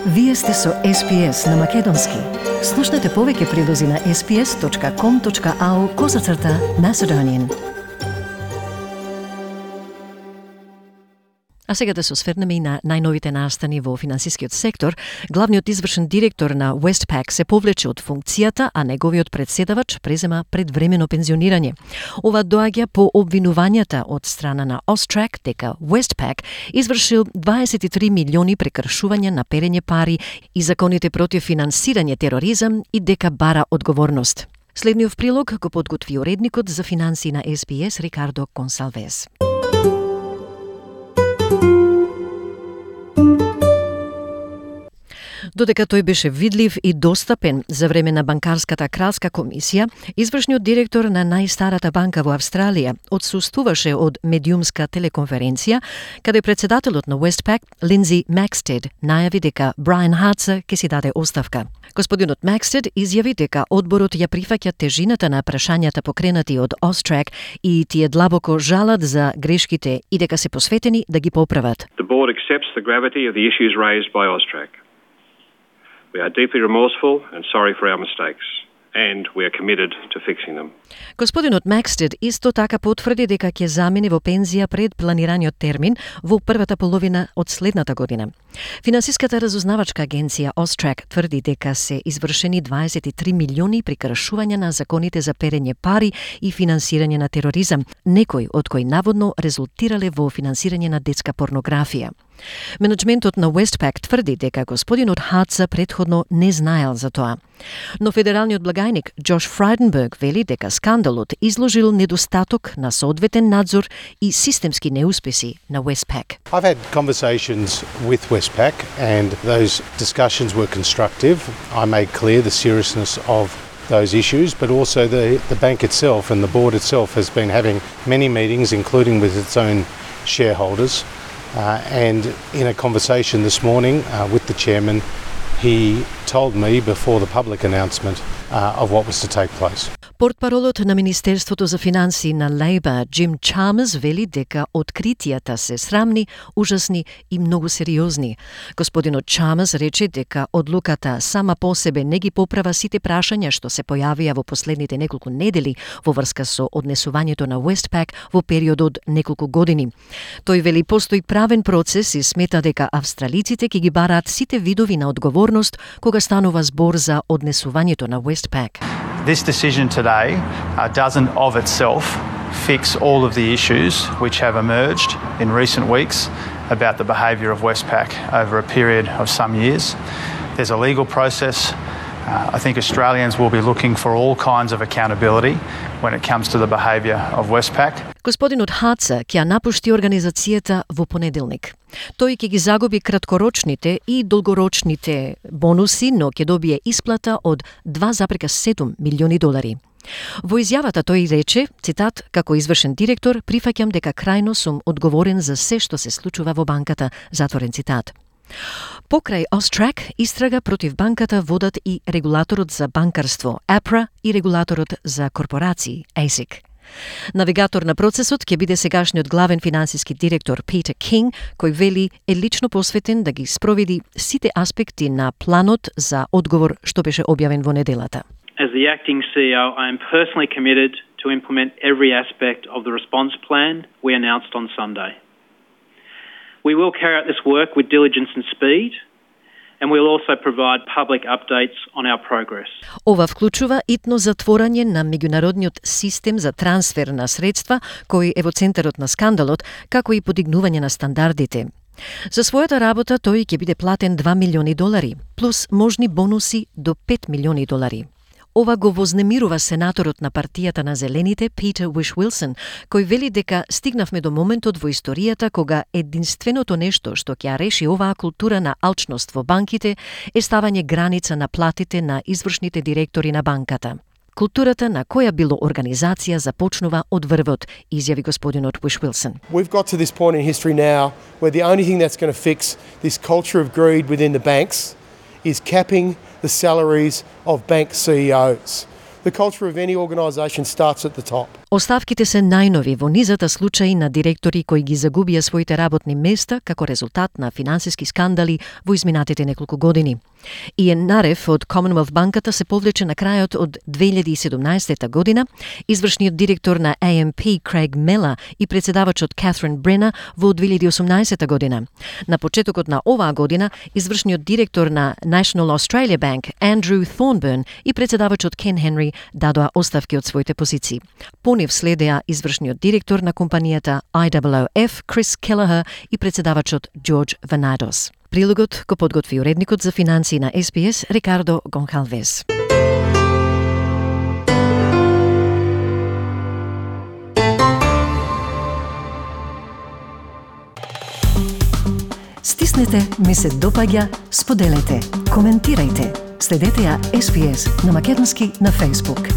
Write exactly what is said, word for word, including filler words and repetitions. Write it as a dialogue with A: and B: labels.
A: Вие сте со Ес Пи Ес на Македонски. Слушнете повеќе прилози на ес пи ес точка ком точка ау козацрта Macedonian. А сега да се осврнеме и на најновите настани во финансискиот сектор. Главниот извршен директор на Westpac се повлече од функцијата, а неговиот председавач презема предвремено пензионирање. Ова доаѓа по обвинувањата од страна на Austrac дека Westpac извршил дваесет и три милиони прекршувања на перење пари и законите против финансирање тероризам и дека бара одговорност. Следниот прилог го подготви уредникот за финансии на Ес Пи Ес Рикардо Консалвес. Додека тој беше видлив и достапен за време на банкарската кралска комисија, извршниот директор на најстарата банка во Австралија отсуствуваше од медиумска телеконференција, каде председателот на Westpac, Линдзи Макстед, најави дека Брайан Хартер ќе си даде оставка. Господинот Макстед изјави дека одборот ја прифаќа тежината на прашањата покренати од Austrac и тие длабоко жалат за грешките и дека се посветени да ги поправат.
B: The board accepts the gravity of the issues raised by Austrac. We are deeply remorseful and sorry for our mistakes, and we are committed to fixing them.
A: Господинот Макстед исто така потврди дека ќе замине во пензија пред планираниот термин во првата половина од следната година. Финансиската разузнавачка агенција Austrac тврди дека се извршени дваесет и три милиони прекршувања на законите за перење пари и финансирање на тероризам, некои од кои наводно резултирале во финансирање на детска порнографија. Менеджментот на Westpac тврди дека господинот Хартер претходно не знаел за тоа. Но федералниот благајник Джош Фрайденберг вели дека скандалот изложил недостаток на соодветен надзор и системски неуспеси на Westpac.
C: I've had conversations with Westpac and those discussions were constructive. I made clear the seriousness of those issues, but also the, the bank itself and the board itself has been having many meetings, including with its own shareholders. Uh, and in a conversation this morning uh, with the chairman, he told me before the public announcement uh, of what was to take place.
A: Портпаролот на Министерството за финансии на Лейбар, Джим Чалмерс, вели дека откритијата се срамни, ужасни и многу сериозни. Господинот Чалмерс рече дека одлуката сама по себе не ги поправа сите прашања што се појавија во последните неколку недели во врска со однесувањето на Westpac во период од неколку години. Тој вели постои правен процес и смета дека австралиците ќе ги бараат сите видови на одговорност кога станува збор за однесувањето на Westpac.
D: This decision today uh, doesn't of itself fix all of the issues which have emerged in recent weeks about the behaviour of Westpac over a period of some years. There's a legal process. Uh, I think Australians will be looking for all kinds of accountability when it comes to the behaviour of Westpac.
A: Господинот Хартер ќе напушти организацијата во понеделник. Тој ќе ги загуби краткорочните и долгорочните бонуси, но ќе добие исплата од два зарез и седум милиони долари. Во изјавата тој рече, цитат, како извршен директор, прифаќам дека крајно сум одговорен за се што се случува во банката, затворен цитат. Покрај Austrac, истрага против банката водат и регулаторот за банкарство, А Пр А, и регулаторот за корпорации, А С И К. Навигатор на процесот ќе биде сегашниот главен финансиски директор Питер Кинг, кој вели е лично посветен да ги спроведи сите аспекти на планот за одговор што беше објавен во неделата.
E: As the acting C E O, I am personally committed to implement every aspect of the response plan we announced on Sunday. We will carry out this work with diligence and speed, and we will also provide public updates on our progress.
A: Ова вклучува итно затворање на меѓународниот систем за трансфер на средства, кој е во центарот на скандалот, како и подигнување на стандардите. За својата работа тој ќе биде платен два милиони долари, плюс можни бонуси до пет милиони долари. Ова го вознемирува сенаторот на партијата на Зелените, Питер Уиш-Уилсон, кој вели дека стигнавме до моментот во историјата кога единственото нешто што ќе реши оваа култура на алчност во банките е ставање граница на платите на извршните директори на банката. Културата на која било организација започнува од врвот, изјави господинот Уиш-Уилсон.
F: We've got to this point in history now where the only thing that's going to fix this culture of greed within the banks is capping the salaries of bank C E Os. The culture of any organisation starts at the top.
A: Оставките се најнови во низата случаи на директори кои ги загубија своите работни места како резултат на финансиски скандали во изминатите неколку години. Иен Нарев од Commonwealth банката се повлече на крајот од две илјади и седумнаесета година, извршниот директор на А Ем Пи Крейг Мела и председавачот Катрин Брена во две илјади и осумнаесета година. На почетокот на оваа година, извршниот директор на National Australia Bank Андрю Thornburn и председавачот Кен Хенри дадоа оставки од своите позиции. По нив следеа извршниот директор на компанијата Ай Дабл О Еф Крис Келлахер и председавачот Джордж Ванадос. Прилогот го подготви уредникот за финансии на Ес Би Ес Рикардо Гонкалвес. Стиснете, ми се допаѓа, споделете, коментирајте. Следете ја Ес Би Ес на македонски на Facebook.